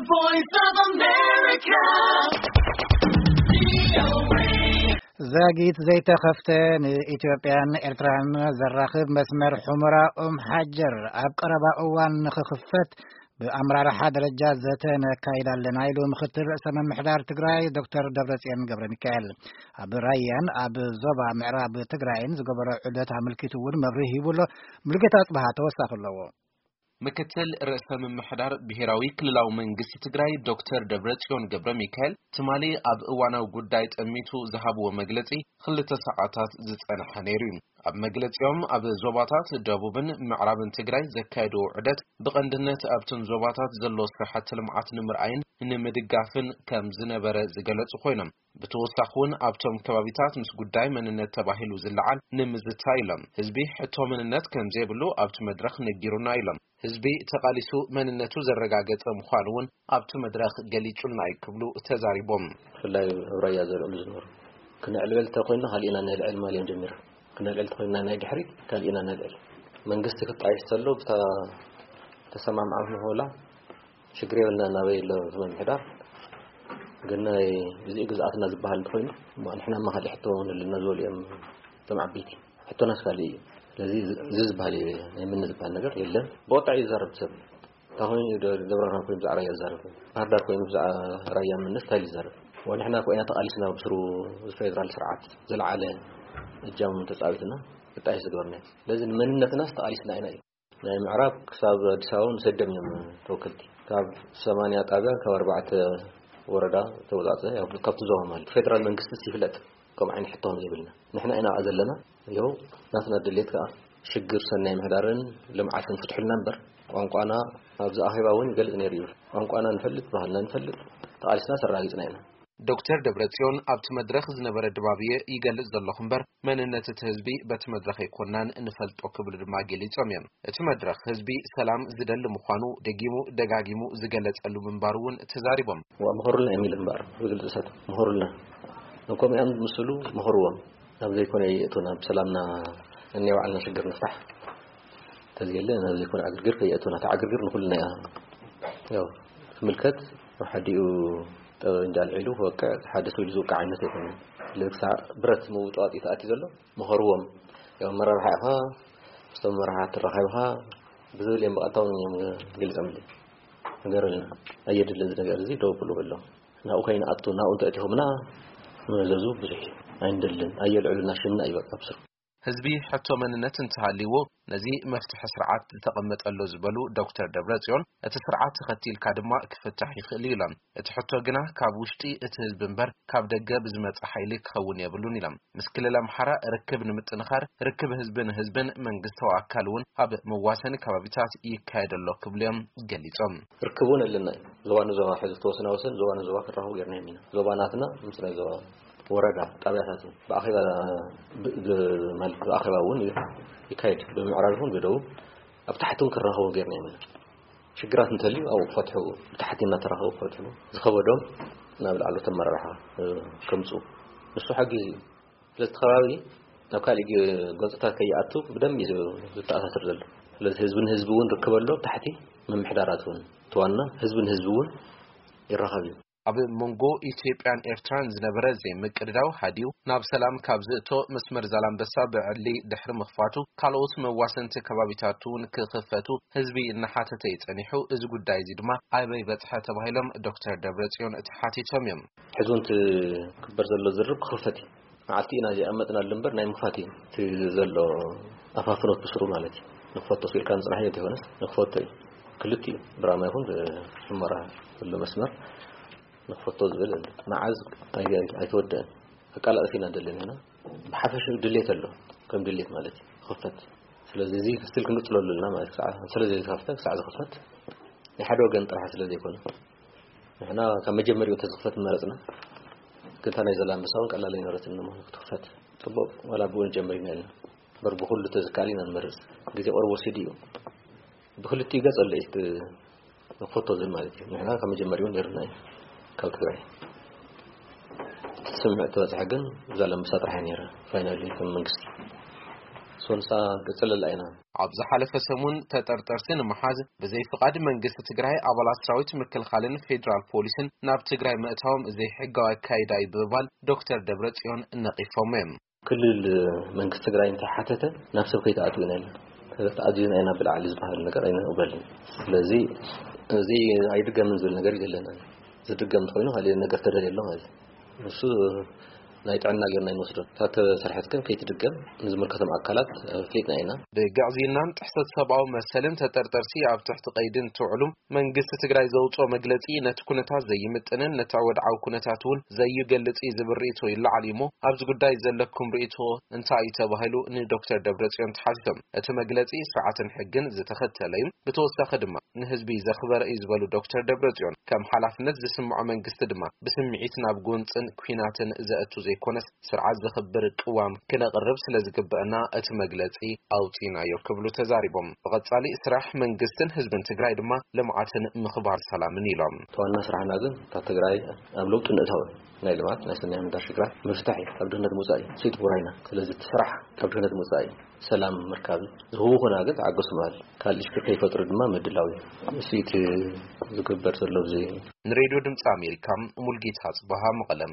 Voice of America. ዛጊት ዘይተኸፍተ ንኢትዮጵያን ኤርትራን ዘራኽብ መስመር ሑመራ ኦም ሓጀር ኣብ ቀረባ እዋን ንኽኽፈት ብኣመራርሓ ደረጃ ዘተ ነካይድ ኣለና ኢሉ ምኽትል ርእሰ ምምሕዳር ትግራይ ዶክተር ደብረጽዮን ገብረ ሚካኤል። ኣብ ራያን ኣብ ዞባ ምዕራብ ትግራይን ዝገበሮ ዑደት ኣመልኪቱ እውን መብርሂ ሂቡ ኣሎ። ሙሉጌታ ኣጽብሃ ተወሳኺ ኣለዎ። ምክትል ርእሰ ምምሕዳር ብሔራዊ ክልላዊ መንግስቲ ትግራይ ዶክተር ደብረጽዮን ገብረ ሚካኤል ትማሊ ኣብ እዋናዊ ጉዳይ ጠሚቱ ዝሃብዎ መግለጺ ክልተ ሰዓታት ዝጸንሐ ነይሩ እዩ። ኣብ መግለጺኦም ኣብ ዞባታት ደቡብን ምዕራብን ትግራይ ዘካየድዎ ዑደት ብቐንድነት ኣብተን ዞባታት ዘሎ ስራሕቲ ልምዓት ንምርኣይን ንምድጋፍን ከም ዝነበረ ዝገለጹ ኮይኖም፣ ብተወሳኺ እውን ኣብቶም ከባቢታት ምስ ጉዳይ መንነት ተባሂሉ ዝለዓል ንምዝታይ ኢሎም። ህዝቢ ሕቶ መንነት ከም ዘይብሉ ኣብቲ መድረኽ ነጊሩና ኢሎም። ህዝቢ ተቓሊሱ መንነቱ ዘረጋገጸ ምዃኑ እውን ኣብቲ መድረኽ ገሊጹልና እዩ ክብሉ ተዛሪቦም። ብፍላይ ኣብ ራያ ዘልዕሉ ዝነበሩ፣ ክነዕልዕል እንተኮይንና ካሊእና ነልዕል ማል እዮም ጀሚሮም። ክነልዕል እንተኮይንና ናይ ድሕሪት ካሊእና ነልዕል። መንግስቲ ክጣየሽ ተሎ ብታ ተሰማምዓም ንሆላ ሽግር የብልና ናበይ ኣሎ እቲ ምምሕዳር። ግን ናይ እዚኡ ግዝኣትና ዝበሃል እንተኮይኑ፣ እሞ ንሕና እማ ካልእ ሕቶ ንህልና ዝበሉ እዮም እቶም ዓበይቲ። ሕቶናስ ካልእ እዩ። ስለዚ እዚ ዝበሃል እዩ፣ ናይ ምኒ ዝበሃል ነገር የለን። ብቐጥታ እዩ ዝዛረብ ሰብ። እንታይ ኮይኑ እዩ ደ-፣ ደብረ ብርሃን ኮይኑ ብዛዕባ ራያ ዝዛረብ? ባህር ዳር ኮይኑ ብዛዕባ ራያ ምንነት እንታይ እዩ ዝዛረብ? ወንሕና እኮ ኢና ተቓሊስና ብስሩ ዝፌደራል ስርዓት ዝለዓለ እጃም ተጻዊትና ክጣየሽ ዝገበርና እዩ። ስለዚ ንመንነትናስ ተቓሊስና ኢና እዩ። ናይ ምዕራብ ክሳብ ኣዲስ ኣበባ ንሰደም እዮም ተወከልቲ። ካብ ሰማንያ ጣብያ ካብ ኣርባዕተ ወረዳ ተወጻጸ፣ ያው ካብቲ ዞባ ማለት ፌደራል መንግስቲ ይፍለጥ። ከም ዓይነት ሕቶ ከም ዘይብልና ንሕና ኢና ኣብኣ ዘለና። ያው ናትና ድሌት ከኣ ሽግር ሰናይ ምሕዳርን ልምዓትን ፍትሑልና እምበር ቋንቋና ኣብዚ ኣኼባ እውን ይገልጽ ነይሩ እዩ። ቋንቋና ንፈልጥ፣ ባህልና ንፈልጥ፣ ተቓሊስና ኣረጋጊጽና ኢና። ዶክተር ደብረጽዮን ኣብቲ መድረኽ ዝነበረ ድባብ እየ ይገልጽ ዘለኹ እምበር መንነት እቲ ህዝቢ በቲ መድረኽ ኣይኮናን እንፈልጦ ክብሉ ድማ ገሊጾም እዮም። እቲ መድረኽ ህዝቢ ሰላም ዝደሊ ምዃኑ ደጊሙ ደጋጊሙ ዝገለጸሉ ምንባሩ እውን ተዛሪቦም። ዋ፣ ምኸሩልና እዮም ኢሉ እምበኣር፣ ብግልጺ እሳት ምኸሩልና። እኮም እዮም ምስሉ ምኸርዎም። ናብ ዘይኮነ የእቱና፣ ብሰላምና እኔ ባዕልና ሽግር ንፍታሕ። ተዝየለ ናብ ዘይኮነ ዕግርግር ከየእቱና፣ ተዕግርግር ንኹልና እያ። ያው ክምልከት፣ ኣብ ሓዲኡ ጠበንጃ ኣልዒሉ ክወቅዕ፣ ሓደ ሰብ ኢሉ ዝውቅዕ ዓይነት ኣይኮነን። ክሳዕ ብረት ምውጣጥ እዩ ተኣትዩ ዘሎ። ምኸርዎም። ያው መራርሓ ኢኻ፣ ምስቶም መራሕቲ ተራኺብካ ብዝብል እዮም ብቐጥታ እውን እዮም ገሊጾምለይ። ንገረልና፣ ኣየድልን እዚ ነገር እዚ፣ ደው ብሉ በሎም። ናብኡ ከይንኣቱ፣ ናብኡ እንተእቲኹምና መዘዙ ብዙሕ እዩ። ኣይንደልን፣ ኣየልዕሉና ሽምና እዩ በቃ ብስሩ። ህዝቢ ሕቶ መንነት እንተሃልይዎ ነዚ መፍትሒ ስርዓት ዝተቐመጠ ኣሎ ዝበሉ ዶክተር ደብረጽዮን፣ እቲ ስርዓት ተኸቲልካ ድማ ክፍታሕ ይኽእል እዩ ኢሎም። እቲ ሕቶ ግና ካብ ውሽጢ እቲ ህዝቢ እምበር ካብ ደገ ብዝመጽእ ሓይሊ ክኸውን የብሉን ኢሎም። ምስ ክልል ኣምሓራ ርክብ ንምጥንኻር ርክብ ህዝቢ ንህዝብን መንግስታዊ ኣካል እውን ኣብ መዋሰኒ ከባቢታት ይካየድ ኣሎ ክብሉ እዮም ገሊጾም። ርክብ እውን ኣለና እዩ። ዞባ ንዞባ ሕዚ ተወሰነ ወሰን ዞባ ንዞባ ክራኸቡ ጌርና ኢና። ዞባ ናትና ምስ ናይ ዞባ ወረዳ ጣብያታት እውን ብኣኼባ ብ-፣ ብ-፣ ማለት ብኣኼባ እውን ይካየድ። ብምዕራብ ይኹን ብደቡብ ኣብ ታሕቲ እውን ክራኸቡ ጌርና ኢና። ሽግራት እንተልዩ ኣብኡ ክፈትሑ፣ ብታሕቲ እናተራኸቡ ክፈትሑ፣ ዝኸበዶም ናብ ላዕለዎት ኣመራርሓ፣ እ፣ ከምፁ። ንሱ ሓጊዙ እዩ። ስለዚ እቲ ከባቢ ናብ ካሊእ ገ-፣ ገፅታት ከይኣቱ ብደንቢ እዩ ዝተኣሳስር ዘሎ። ስለዚ ህዝቢ ንህዝቢ እውን ርክብ ኣሎ፣ ታሕቲ ምምሕዳራት እውን። እቲ ዋና ህዝቢ ንህዝቢ እውን ይራኸብ እዩ። ኣብ መንጎ ኢትዮጵያን ኤርትራን ዝነበረ ዘይምቅድዳው ሃዲኡ ናብ ሰላም ካብ ዝእቶ መስመር ዛላምበሳ ብዕሊ ድሕሪ ምኽፋቱ ካልኦት መዋሰንቲ ከባቢታት እውን ክኽፈቱ ህዝቢ እናሓተተ እዩ ጸኒሑ። እዚ ጉዳይ እዚ ድማ ኣበይ በጽሐ ተባሂሎም ዶክተር ደብረጽዮን ተሓቲቶም እዮም። ሕዚ እውን እቲ ክግበር ዘሎ ዝርርብ ክኽፈት እዩ። መዓልቲ ኢና ዘይኣመጥናሉ እምበር ናይ ምኽፋት እዩ። እቲ ዘሎ ኣፋፍኖት ብስሩ ማለት እዩ። ንኽፈቶ ኢልካ ምጽናሕ እዩ እንተይኮነስ ንኽፈቶ እዩ። ክልቲኡ ብራማ ይኹን ብሑመራ ዘሎ መስመር ንኽፈቶ ዝብል ኣሎ። መዓዝ ኣይ-፣ ኣይተወደአን። ኣቃላጥፍ ኢና ደለን ኢና። ብሓፈሻ ድሌት ኣሎ፣ ከም ድሌት ማለት እዩ። ክኽፈት። ስለዚ እዚ ስቲል ክንቅጽለሉ ኣለና ማለት እዩ። ክሳዕ ስለ ዘይተኸፍተ፣ ክሳዕ ዝኽፈት ናይ ሓደ ወገን ጥራሕ ስለ ዘይኮነ፣ ንሕና ካብ መጀመሪያኡ እንተዝኽፈት ምመረጽና። ግን እታ ናይ ዘላንበሳ እውን ቀላል ኣይነበረትን እሞ ክትኽፈት። ጽቡቕ፣ ዋላ ብኡ ንጀምር ኢና ኢልና። እምበር ብኹሉ ተዝከኣል ኢና ንመርጽ። ግዜ ቁሩብ ወሲዱ እዩ። ብክልቲኡ ገጽ ኣሎ እቲ ንኽፈቶ ዝብል ማለት እዩ። ንሕና ካብ መጀመሪያኡ ነይርና እዩ ካብ ትግራይ። እቲ ስምምዕ ተበጽሐ ግን ዛላንበሳ ጥራሕ እያ ነይራ ፋይናሊ ከም መንግስቲ። ሶንሳ ገጽለላ ኢና። ኣብ ዝሓለፈ ሰሙን ተጠርጠርቲ ንምሓዝ ብዘይ ፍቓድ መንግስቲ ትግራይ ኣባላት ሰራዊት ምክልኻልን ፌዴራል ፖሊስን ናብ ትግራይ ምእታዎም ዘይሕጋዊ ኣካይዳ እዩ ብምባል ዶክተር ደብረጽዮን ነቒፎም እዮም። ክልል መንግስቲ ትግራይ እንተሓተተ ናብ ሰብ ከይተኣትው ኢና ኢልና። ተኣዚዝና ኢና ብላዕሊ ዝበሃል ነገር ኣይንቕበልን። ስለዚ እዚ ኣይድገምን ዝብል ነገር የለን። ዝድገም እንተኾይኑ ካልእ ነገር ተደልየ ኣሎ ማለት እዩ። ንሱ ናይ ጥዕና ጌርና ኣይንወስዶን። እታ ተሰርሐት ግን ከይትድገም ንዝምልከቶም ኣካላት ኣፍሊጥና ኢና። ብግዕዝይናን ጥሕሰት ሰብኣዊ መሰልን ተጠርጠርቲ ኣብ ትሕቲ ቀይዲ እንትውዕሉ መንግስቲ ትግራይ ዘውፅኦ መግለፂ ነቲ ኩነታት ዘይምጥንን ነቲ ወድዓዊ ኩነታት እውን ዘይገልፅ እዩ ዝብል ርእይቶ ይለዓል እዩ እሞ ኣብዚ ጉዳይ ዘለኩም ርእይቶ እንታይ እዩ ተባሂሉ ንዶክተር ደብረፅዮን ተሓቲቶም። እቲ መግለፂ ስርዓትን ሕግን ዝተኸተለ እዩ። ብተወሳኺ ድማ ንህዝቢ ዘኽበረ እዩ ዝበሉ ዶክተር ደብረጽዮን፣ ከም ሓላፍነት ዝስምዖ መንግስቲ ድማ ብስምዒት ናብ ጎንፅን ኲናትን ዘእቱ ዘይኮነስ ስርዓት ዘኽብር ቅዋም ክነቕርብ ስለ ዝግበአና እቲ መግለፂ ኣውፂናዮ ክብሉ ተዛሪቦም። ብቐፃሊ ስራሕ መንግስትን ህዝብን ትግራይ ድማ ልምዓትን ምኽባር ሰላምን ኢሎም። እቲ ዋና ስራሕና ግን እታ ትግራይ ኣብ ለውጢ ምእታው እዩ። ናይ ልምዓት ናይ ሰናይ ምህዳር ሽግራት ምፍታሕ እዩ። ካብ ድህነት ምውፃእ እዩ። ስይቲ ቡራይና። ስለዚ እቲ ስራሕ ካብ ድህነት ምውፃእ እዩ። ሰላም ምርካብ እዩ። ዝህውኹና ግን ተዓገሱ ምባል። ካልእ ሽግር ከይፈጥሩ ድማ ምድላው እዩ። እሱ እቲ ዝግበር ዘሎ ኣብዚ። ንሬድዮ ድምፂ ኣሜሪካ ሙልጌታ ጽባሃ መቐለም።